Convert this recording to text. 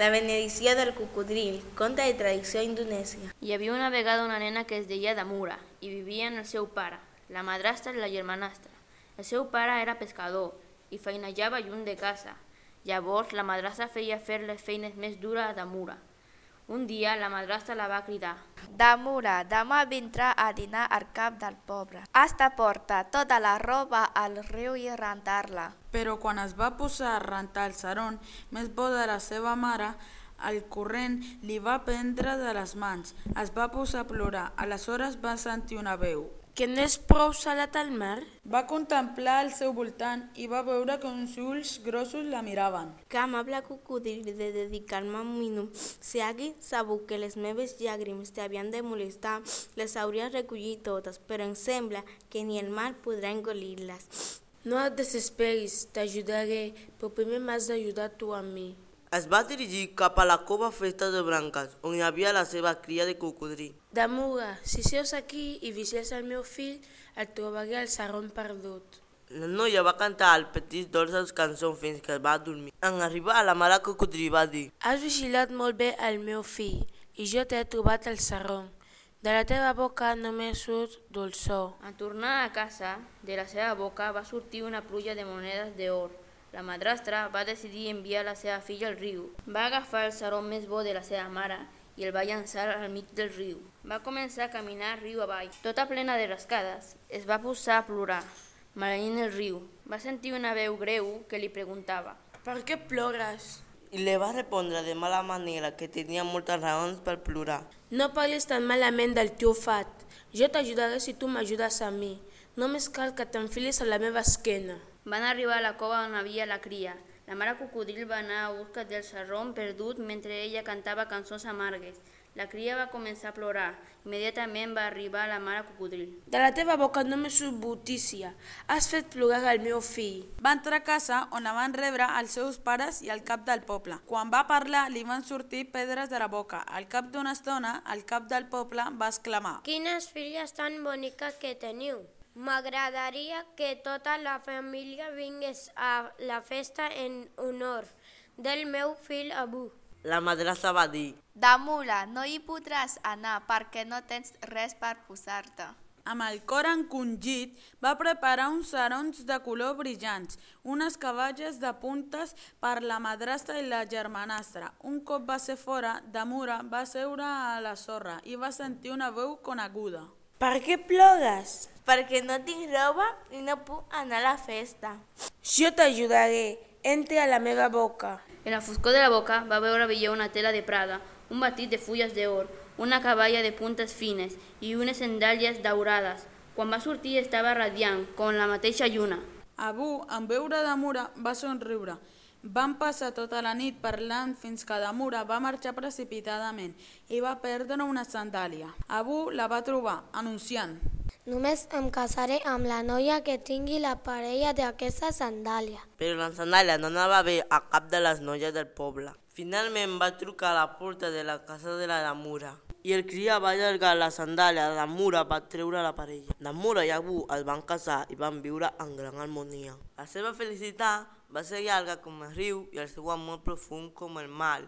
La benedicció del cocodril, conte de tradició indonèsia. Hi havia una vegada una nena que es deia Damura i vivia amb el seu pare, la madrastra i la germanastra. El seu pare era pescador i feinejava lluny de casa. Llavors la madrastra feia fer les feines més dures a Damura. Un dia la madrastra la va cridar. Damura, demà vindrà a dinar al cap del poble. Has de portar tota la roba al riu i rentar-la. Però quan es va posar a rentar el seron més bo de la seva mare, el corrent li va prendre de les mans. Es va posar a plorar. Aleshores va sentir una veu. Que no és prou salat al mar? Va contemplar al seu voltant i va veure que uns ulls grossos la miraven. Que amable cocodril de dedicar-me un minut. Si hagués sabut que les meves llàgrimes t'havien de molestar, les hauria recollit totes, però em sembla que ni el mar podrà engolir-les. No et desesperis, t'ajudaré, però primer m'has d'ajudar tu a mi. Es va dirigir cap a la cova feta de branques, on hi havia la seva cria de cocodril. Damura, si seus aquí i vigiles el meu fill, el trobaré al seron perdut. La noia va cantar al petit dolces cançons fins que va dormir. En arribar, la mare cocodril va dir: Has vigilat molt bé el meu fill i jo t'he trobat al seron. De la teva boca només surt dolçor. En tornar a casa, de la seva boca va sortir una pluja de monedes d'or. La madrastra va decidir enviar la seva filla al riu. Va agafar el saró més bo de la seva mare i el va llançar al mig del riu. Va començar a caminar riu avall. Tota plena de rascades, es va posar a plorar, maleint el riu. Va sentir una veu greu que li preguntava: Per què plores? I li va respondre de mala manera que tenia moltes raons per plorar. No parlis tan malament del teu fat. Jo t'ajudaré si tu m'ajudes a mi. Només cal que t'enfilis a la meva esquena. Van arribar a la cova on havia la cria. La mare cocodril va anar a busca del sarró perdut mentre ella cantava cançons amargues. La cria va començar a plorar. Immediatament va arribar la mare cocodril. De la teva boca només surt brutícia. Has fet plorar el meu fill. Va entrar a casa on la van rebre els seus pares i el cap del poble. Quan va parlar li van sortir pedres de la boca. Al cap d'una estona, el cap del poble va exclamar: Quines filles tan boniques que teniu! M'agradaria que tota la família vingués a la festa en honor del meu fill Abu. La madrastra va dir: Damura, no hi podràs anar perquè no tens res per posar-te. Amb el cor encongit, va preparar uns sarons de color brillants, unes caballes de puntes per la madrastra i la germanastra. Un cop va ser fora, Damura va seure a la sorra i va sentir una veu coneguda. Per què plores? Perquè no tinc roba i no puc anar a la festa. Jo t'ajudaré. Entra a la meva boca. En la foscor de la boca va veure brillar una tela de prada, un batit de fulles d'or, una caballa de puntes fines i unes sandàlies daurades. Quan va sortir estava radiant, com la mateixa lluna. Abu, en veure Damura, va somriure. Van passar tota la nit parlant fins que Damura va marxar precipitadament i va perdre una sandàlia. Abu la va trobar, anunciant: Només em casaré amb la noia que tingui la parella d'aquesta sandàlia. Però la sandàlia no anava bé a cap de les noies del poble. Finalment va trucar a la porta de la casa de la Damura i el cria va allargar la sandàlia. Damura va treure la parella. Damura i Abu es van casar i van viure en gran harmonia. La seva felicitat va ser llarga com el riu i el seu amor profund com el mar.